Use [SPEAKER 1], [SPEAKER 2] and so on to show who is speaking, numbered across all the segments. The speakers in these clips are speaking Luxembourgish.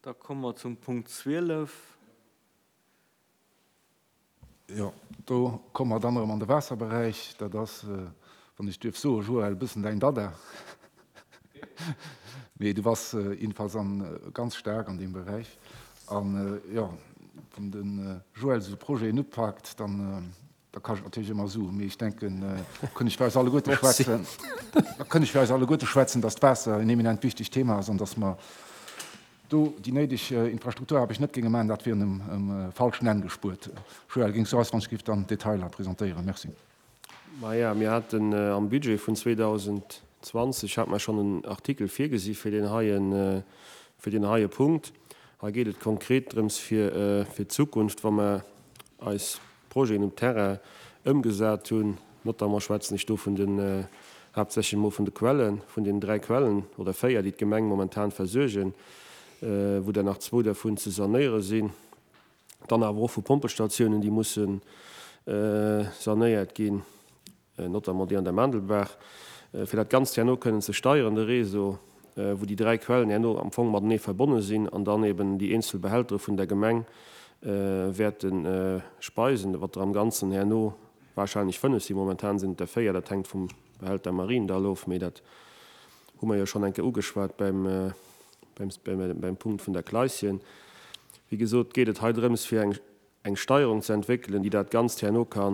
[SPEAKER 1] Da komme mer zum Punkt 12.
[SPEAKER 2] Jo, do komme mer dann erëm an de Waasserberäich. Dat ass, wann ech duerf soen, Joël, e bëssen däin Dada. Mee du bass jiddefalls an ganz staark an deem Beräich. An jo, wann de Joël esou Projeten upaakt, dann da kascht et natierlech ëmmer Suen. Mee ech denken, da kënn ech fir eis alleguerte schwätzen, da kënn ech fir eis alleguerte schwätzen, dass d'Waasser en eminent wichtegt Thema ass an dass mer do déi néideg Infrastrukturaarbecht net géinge maachen, dat wier um falschen Enn gespuert. Joël, géings du eis wann ech géif dann d'Detailer presentéieren? Merci.
[SPEAKER 3] Maja, mir haten am Budget vun 2020 hate mer schonn en Artikel virgesi fir deen heien, fir deen heie Punkt. Hei geet et konkret drëms fir fir d'Zukunft, wa mer eis Projeten um Terrain ëmgesat hunn, notamment schwätzen ech do vun den, haaptsächlech emol vun de Quellen, vun den 3 Quellen oder 4, déi d'Gemeng momentan versuergen, wou der nach zwou dervun ze sanéiere sinn, dann awer och vu Pompestatiounen, déi musse sanéiert ginn. notamment déi an der Maandelbaach, fir dat Ganzt herno kënnen ze steieren, de Réseau, wou déi 3 Quellen herno am Fong matenee verbonne sinn an dann eben déi eenzel Behältere vun der Gemeng wäerte speisen, wat der am Ganzen herno wahrscheinlech 5 sinn, momentan sinn et der 4, dat hänkt vum Behälter Mariendall of, mee dat hu mer jo schonn eng Kéier ugeschwat beim, beim Punkt vun der Kleisschen. Wéi gesot, geet et hei drëms, fir eng eng Steierung ze entwéckelen, déi dat Ganzt herno ka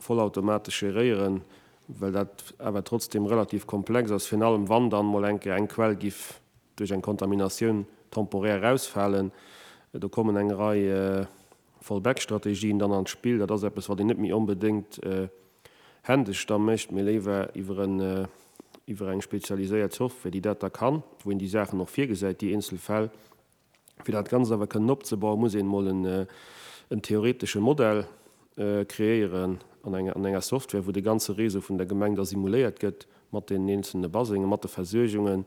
[SPEAKER 3] vollautomatesch geréieren, well dat awer trotzdeem relativ komplex ass, virun allem wann dann mol eng Kéier eng Quell giff duerch eng Kontaminatioun temporär erausfalen. Do kommen eng Rei Fallback-Strategien dann an d'Spill. Dat ass eppes, wat een net méi onbedéngt händesch da mécht, mee léiwer iwwer en, iwwer eng spezialiséiert Software, déi dat da kann, wou een déi Saachen och virgesäit, déi eenzel Fäll. Fir dat Ganzt awer kënnen opzebauen, muss een emol en theoretesche Modell kreéieren an enger Software, wou de ganze Réseau vun der Gemeng da simuléiert gëtt, mat deenen eenzelne Basengen, mat de Versuergungen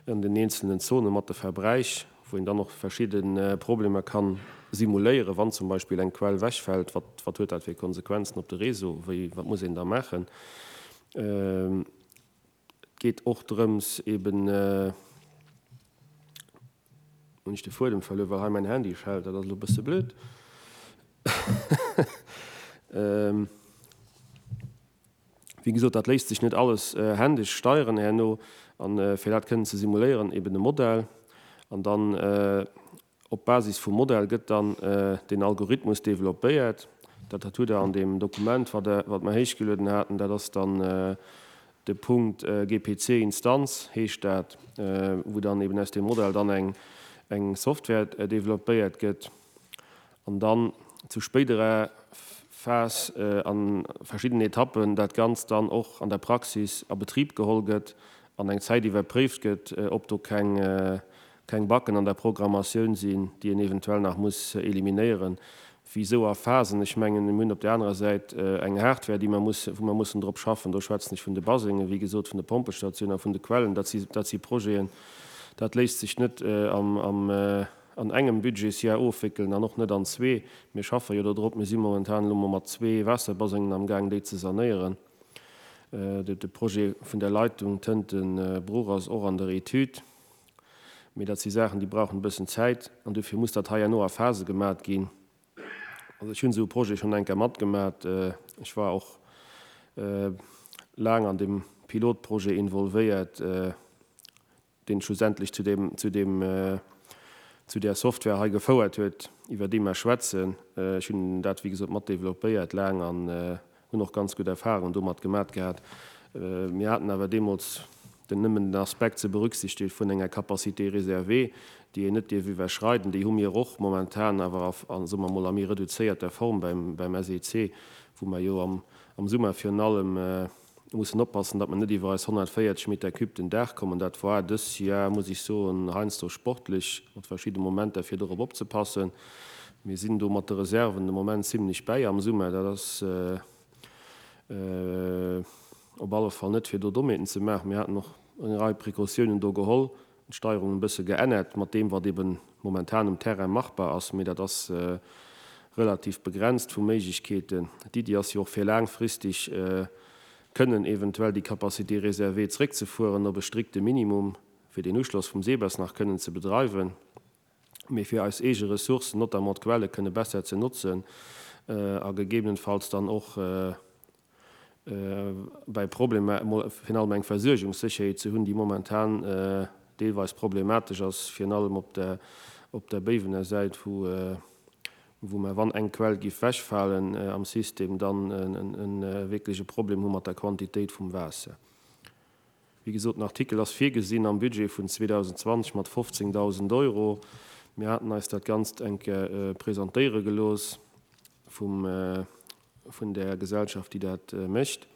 [SPEAKER 3] an den eenzelnen Zonen, mat de Verbräich, wou een dann och verschidde Problemer ka simuléieren, wann zum Beispill eng Quell wechfält, wat wat huet dat fir Konsequenzen op de Réseau, wéi wat muss een da maachen. Et geet och drëms eben, Hunn ech de Fuedem verluer, well hei mäin Handy schellt, dat ass elo e bësse blöd. Wéi gesot, dat léisst sech net alles händesch steieren herno. An fir dat kënnen ze simuléieren, eben e Modell. An dann op Basis vum Modell gëtt dann den Algorithmus developpéiert. Dat hutt Der an deem Dokument, wat mer héichgelueden haten. Dat ass dann De Punkt GPC Instanz heescht dat, wou dann eben aus deem Modell dann eng eng Software developpéiert gëtt an dann zu spéiderer Phas a verschiddenen Etappen dat Ganzt dann och an der Praxis a Betrib geholl gëtt an eng Zäit iwwerpréift gëtt, ob do keng keng Buggen an der Programmatioun sinn, déi een eventuell nach muss eliminéieren. Wisou a Phasen? Ech mengen, mir hunn op där anerer Säit eng Hardware, déi mer mussen, wou mer mussen drop schaffen. Do schwätzen ech vun de Basengen, wéi gesot, vun de Pompestatiounen a vun de Quellen. Dat si, dat si Projeten, dat léisst sech net am, am, an engem Budgetsjahr ofwéckelen an och net an zwee. Mir schaffe jo do drop. Mir si momentan elo mol mat zwee Waasserbasengen amgaang, déi ze sanéieren. De Projet vun der Leitung Tënten-Bruch ass och an der Etüd. Mee dat si Saachen, déi brauchen e bëssen Zäit an dofir muss dat hei herno a Phase gemat ginn. Also ech hunn esou e Projet schonn eng Kéier matgemat. Ech war och laang an deem Pilotprojet involvéiert, deen schlussendlech zu deem, zu deem, zu där Software hei gefouert huet, iwwer déi mer schwätzen. Ech hunn dat, wéi gesot, mat developpéiert laang an Hunn och ganz gutt Erfahrungen domat gemat gehat. Mir haten awer deemools den nëmmen den Aspekt ze berücksichtigen vun enger Capacité réservée, déi een net dierf iwwerschreiden. Déi hu mir och momentan, awer a, soe mer emol, a méi reduzéierter Form beim, beim SEC, wou mer jo am, am Summer virun allem mussen oppassen, datt mer net iwwer eis 140 Meter cube den Dag kommen. Dat war dës Jar, muss ech soen, heiansdo sportlech mat verschidde Momenter, fir dorop opzepassen. Mir sinn do mat de Reserven de Moment zimlech bäi am Summer. Dat ass op alle Fall net, fir do Dommheeten ze maachen. Mir haten och eng Rei Precautiounen do geholl, d'Steierung e bësse geännert mat deem, wat eebe momentan um Terrain machbar ass. Mee dat ass relativ begrenzt vu Méiglechkeeten. D'Iddi ass jo och, fir laangfristig kënnen eventuell déi Capacité réservée zréckzefueren op e strikte Minimum, fir deen Uschloss vum SEBES nach kënnen ze bedreiwen. Mee fir eis eege Ressourcen, notamment d'Quelle kënne besser ze notzen a gegebenenfalls dann och bäi Problemer emol virun allem eng Versuergungssécherheet ze hunn, déi momentan deelweis problematesch ass, virun allem op der op der Béiwener Säit, wou wou mer, wann eng Quell giff wechfalen am System, dann e wierklech e Problem hu mat der Quantitéit vum Waasser. Wéi gesot, den Artikel ass virgesinn am Budget vun 2020 mat 15.000 Euro. Mir haten eis dat Ganzt eng Kéier presentéiere gelooss vum, vun där Gesellschaft, déi dat mécht.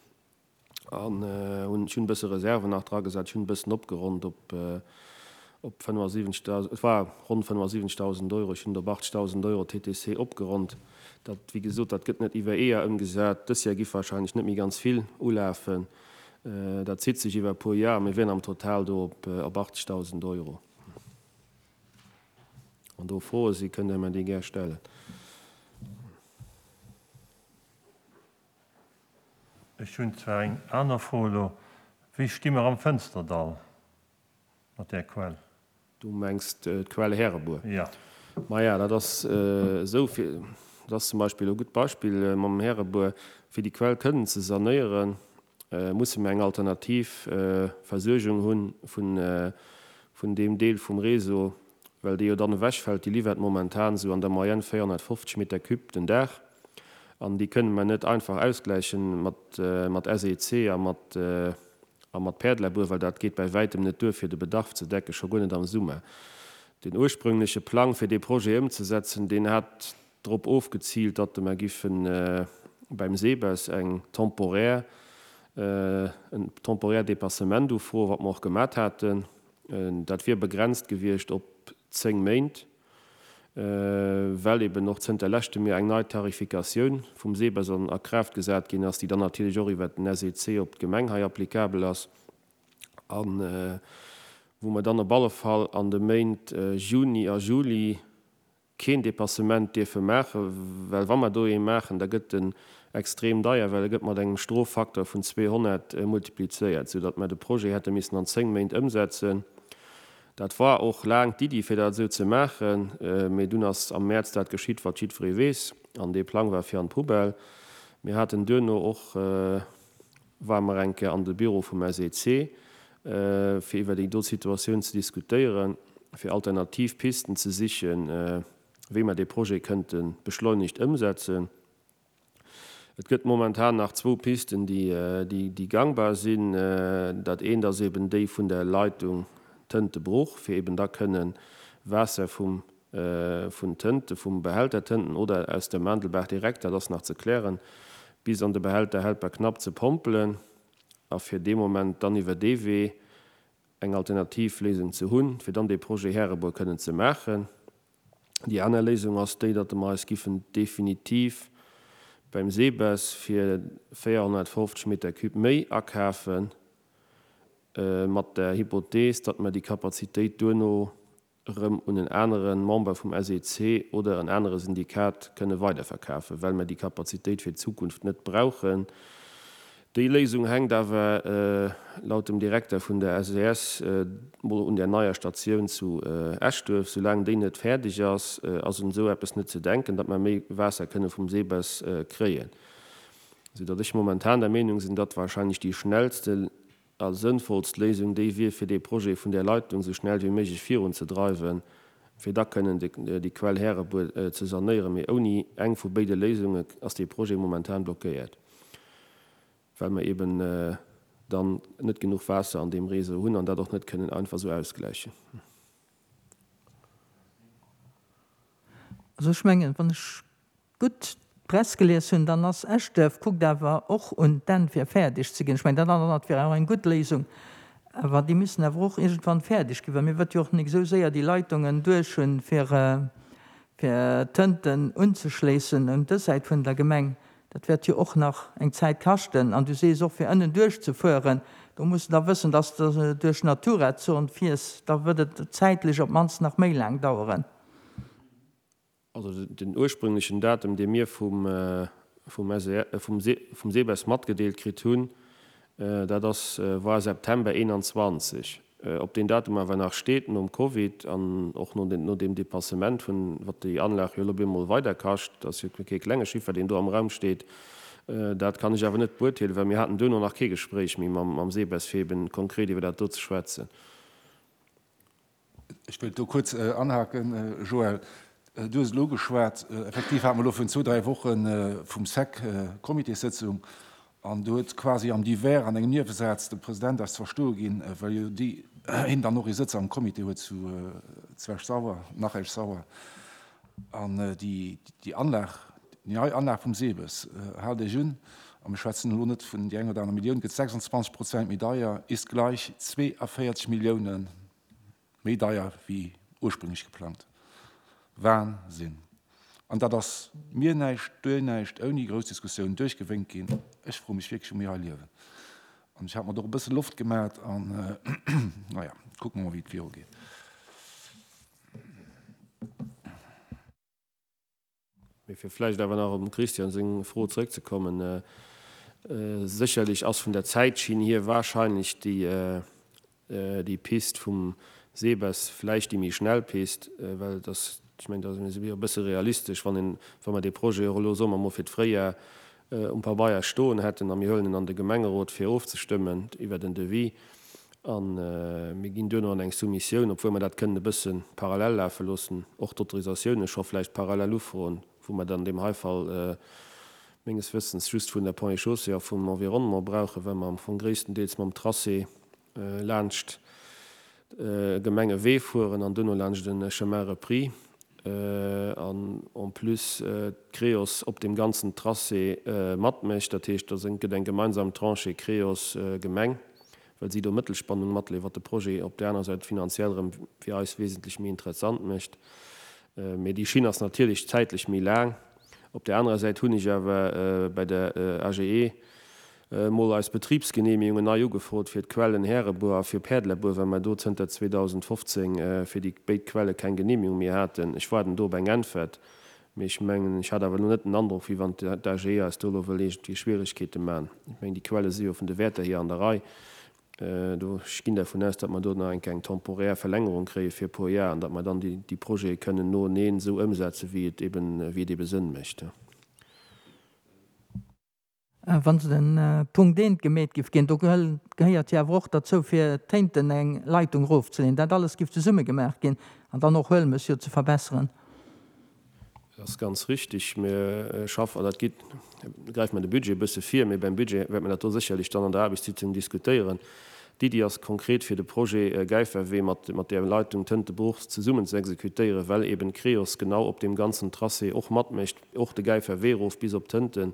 [SPEAKER 3] An hunn, ech hunn e bësse Reserven nach dragesat, ech hunn e bëssen opgeronnt op, op 75.000, et war ronn 75.000 Euro, ech hunn et op 80.000 Euro TTC opgeronnt. Dat, wéi gesot, dat gëtt net iwwer ee Jar ëmgesat. Dës Jar gi wahrscheinlech net méi ganz vill ulafen. Dat zitt sech iwwer e puer Jar. Mir wieren am Total do op 80.000 Euro. Wann do Froe sinn, kënnt Der mer déi gär stellen.
[SPEAKER 1] Ech hunn zwar eng aner Fro elo. Wéi sti mer am Fënsterdall mat där Quell?
[SPEAKER 3] Du mengs d'Quell Härebuer?
[SPEAKER 1] Jo.
[SPEAKER 3] Maja, dat ass esou, fir, dat ass zum Beispill e gutt Beispill mam Härebuer, fir déi Quell kënnen ze sanéieren, musse mir eng alternativ Versuergung hu vun, vun deem Deel vum Réseau, well dee jo dann ewechfält. Déi liwwert momentan esou an der Moyenne 450 Meter cube den Dag an déi kënne mer net einfach ausgläichen mat, mat SEC a mat, A mat Päerdlabur, well dat geet bäi wäitem net duer fir de Bedarf ze decken, scho guer net am Summer. Den ursprüngleche Plang fir dee Projet ëmzesetzen, deen hat drop ofgeziilt, datt mer giffe beim SEBES eng temporär, en temporaire Dépassement ufroen, wat mer och gemat haten. Dat wier begrenzt gewiescht op 10 Méint. well eben och zënter leschtem Joer eng nei Tarifikatioun vum SEBES an a Kraaft gesat ginn ass, déi dann natierlech och iwwert den SEC op d'Gemeng hei applicabel ass a wou mer dann op alle Fall an de Méint Juni a Juli keen Dépassement dierfe maachen, well wa mer do ee maachen, da gëtt en extrem deier, well e gëtt mat engem Stroffaktor vun 200 multiplizéiert, soudatt mer de Projet hätte missen an 10 Méint ëmsetzen. Dat war och laang d'Iddi, fir dat esou ze maachen, mee dunn ass am Mäerz dat geschitt, wat jiddweree weess, an dee Plang war fir an d'Poubelle. Mir haten duerno och, ware mer eng Kéier an de Büro vum SEC, fir iwwer déi do Situatioun ze diskutéieren, fir alternativ Pisten ze sichen, wéi mer dee Projet kënnte beschleunigt ëmsetzen. Et gëtt momentan nach zwou Pisten, déi gangbar sinn. Dat eent ass eben déi vun der Leitung Tëntebruch, fir eben da kënnen Waasser vum vun Tënte, vum Behälter Tënten oder aus der Maandelbaach direkt, dat ass nach ze klären, bis an de Behälter Helperknapp ze pompelen a fir dee Moment dann iwwer dee Wee eng alternativ Léisung ze hunn, fir dann dee Projet Härebuer kënnen ze maachen. Déi aner Léisung ass déi, datt mer eis giffen definitiv beim SEBES fir 450 Meter cube méi akafen, mat der Hypothees, datt mer déi Kapazitéit duerno erëm un en anere Member vum SEC oder en anere Syndikat kënne weiderverkafen, well mer déi Kapazitéit fir d'Zukunft net brauchen. Déi Léisung hänkt awer laut dem Direkter vun der SES mol un der neier Statioun zu Eschduerf. Soulaang déi net fäerdeg ass, ass un esou eppes net ze denken, datt mer méi Waasser kënne vum SEBES kréien. Sou datt ech momentan der Meenung sinn, datt warscheinlech déi schnellste a sënnvollst Léisung déi wier, fir dee Projet vun där Leitung sou schnell wéi méiglech virunzedreiwen, fir da kënnen déi Quell Härebuer ze sanéieren. Mee ouni eng vu béide Léisunge ass dee Projet momentan blockéiert. Well mer eben dann net genuch Waasser an deem Réseau hunn an dat och net kënnen einfach esou ausgläichen.
[SPEAKER 4] Also ech mengen, wann ech gutt d'Press gelies hunn, dann ass Eschduerf kuckt awer och un d'Enn fir fäerdeg ze ginn. Ech mengen, dat anert wier och eng gutt Léisung, awer déi müssen awer och iergendwann fäerdeg ginn, well mir wëtt jo och nik esou séier déi Leitungen duerch hunn, fir fir Tënten unzeschléissen un dës Säit vun der Gemeng. Dat wäert jo och nach eng Zäit kaschten. An du sees och, fir ënnen duerchzefueren, do muss de da wëssen, dass de duerch Natura-Zon fiers, da wëtt et zäitlech op d'mannst nach méi laang daueren.
[SPEAKER 3] Also den ursprünglechen Datum, dee mir vum SEBES matgedeelt kritt hunn, dat ass, war September 21. Ob deen Datum awer nach steet nom Covid an och no deem Dépassement vun, wat déi Anlag jo elo op eemol weider kascht, dat ass jo kee klenge Chiffer, deen do am Raum steet, dat kann ech awer net beurteelen, well mir haten duerno nach kee Gespréich méi mam SEBES, fir eben konkret iwwer dat do ze schwätzen.
[SPEAKER 2] Ech wëllt do kuerz anhaken, Joël. Du hues elo ugeschwat, effektiv hate mer elo virun zwou, dräi Woche vum sec Comitéssëtzung an do huet quasi am Divers an engem Niewesaz de President eis ze verstoe ginn, well jo déi hien dann och ee Sëtz am Comité huet zu zu Esch-Sauer, nach Esch-Sauer, an déi déi Anlag, déi nei Anlag vum SEBES, haalt Iech un, a mir schwätzen elo net vun déi eng oder aner Millioun, gëtt 26 Prozent méi deier, ist gleich 42 Milliounen. Méi deier wéi ursprünglech geplangt. Wahnsinn! An dat ass mir näischt, duer näischt, ouni grouss Diskussioun duerchgewénkt ginn. Ech froe mech wierklech, wou mir hei liewen. An ech hat mer do och e bësse Loft gemat an, naja, kucke mer mol, wéi et virugeet.
[SPEAKER 3] Mee fir vläicht awer nach op dem Christian seng Fro zrëckzekommen, Sécherlech ass vun der Zäitschinn hier wahrscheinlech déi Pist vum SEBES vläicht déi méi schnell Pist, well et ass, ech mengen, da si mir e bësse realistesch, wann een, wa mer dee Projet och elo, soe mer mol, fir d'Fréijar um Pabeier stoen hätten a mir huelen en an de Gemengerot fir ofzestëmmen iwwert en Devis a mir ginn duerno an eng Soumissioun, obwuel mer dat kënnen e bësse parallel lafe loossen, och d'Autorisatioune scho vläicht parallel ufroen, wou mer dann an deem hei Fall menges Wëssens just vun der Ponts et Chaussées a vum Environnement brauchen, well mer am Fong gréisstendeels mam Tracé laanscht Gemengewee fueren an duerno laanscht e Chemin repris an en plus d'Creos op deem ganzen Tracé matmécht. Dat heescht, do gëtt eng gemeinsam Tranchée Creos-Gemeng, well si do Mëttelspannung matleeën, wat de Projet op där aner Säit finanziell erëm fir eis wesentlech méi interessant mécht. Mee déi Schinn ass natierlech zäitlech méi laang. Op där anerer Säit hunn ech awer bei der AGE mol eis Betribsgenehmigungen nei ugefrot fir d'Quellen Härebuer a fir Päerdlerbuer, well mer do zënter 2015 fir déi béid Quelle keng Genehmigung méi haten. Ech waarden do op eng Äntwert, mee ech mengen, ech hat awer elo net den Androck, wéi wann d'AGE eis do elo wëll iergendwéi Schwieregkeete man. Ech mengen, déi Quelle si jo vun de Wäerter hier an der Rei. Do, ech ginn dervun aus, datt mer do nach eng Kéier eng temporär Verlängerung kréie fir e puer Jar an datt mer dann déi Projete kënnen noeneen esou ëmsetzen, wéi et eben, wéi et ebe Sënn mécht.
[SPEAKER 4] Wann se den Punkt eent gemeet giff ginn, do gehéiert jo awer och derzou fir Téinten eng Leitung rofzeleeën, dat alles giff zesumme gemaach ginn an dann och Huelmes jo ze verbesseren.
[SPEAKER 3] Dat ass ganz richtig. Mir schaffen, an dat geet, gräife mer de Budget e bësse vir, mee beim Budget wäerte mer dat do sécherlech dann an der Aarbechtssitzung diskutéieren. D'Iddi ass konkret fir de Projet Gäiferwee mat mat där Leitung Tëntebruch zesummen ze exekutéieren, well eben d'Creos genau op deem ganzen Tracé och matmécht, och de Gäiferwee erof bis op Tënten,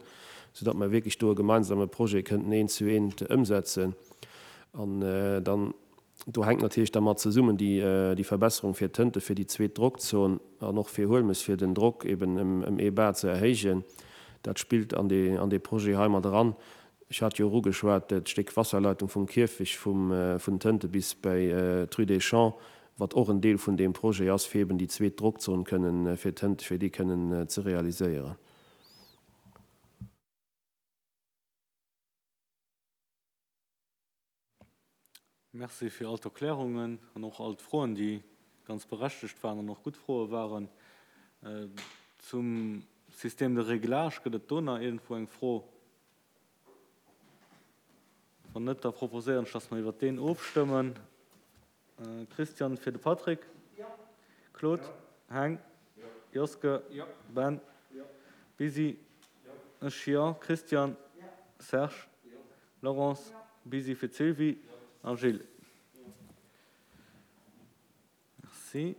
[SPEAKER 3] soudatt mer wierklech do e gemeinsame Projet kënnten eent zu eent ëmsetzen. An dann, do hänkt natierlech da mat zesummen déi Verbesserung fir Tënte fir déi zweet Drockzon an och fir Huelmes, fir den Drock eben ëm ee Bar ze erhéijen. Dat spillt an dee, an dee Projet hei mat eran. Ech hat jo och ugeschwat, d'Stéck Wasserleitung vum Kierfech vum, vun Tënte bis bei d'Rue des Champs, wat och en Deel vun deem Projet ass, fir eben déi zweet Drockzon kënnen fir Tënte, fir déi kënnen ze realiséieren.
[SPEAKER 5] Merci fir all d'Erklärungen an och all d'Froen, déi ganz berechtegt waren an och gutt Froe waren. Zum Système de réglage, gëtt et do nach iergendwou eng Fro? Wann net, da proposéieren ech, dass mer iwwert deen ofstëmmen. Christian fir de Patrick. Claude. Heng. Joske. Ben. Busy. Ech jo. Christian. Serge. Laurence. Busy fir d'Sylvie a Gilles. Merci.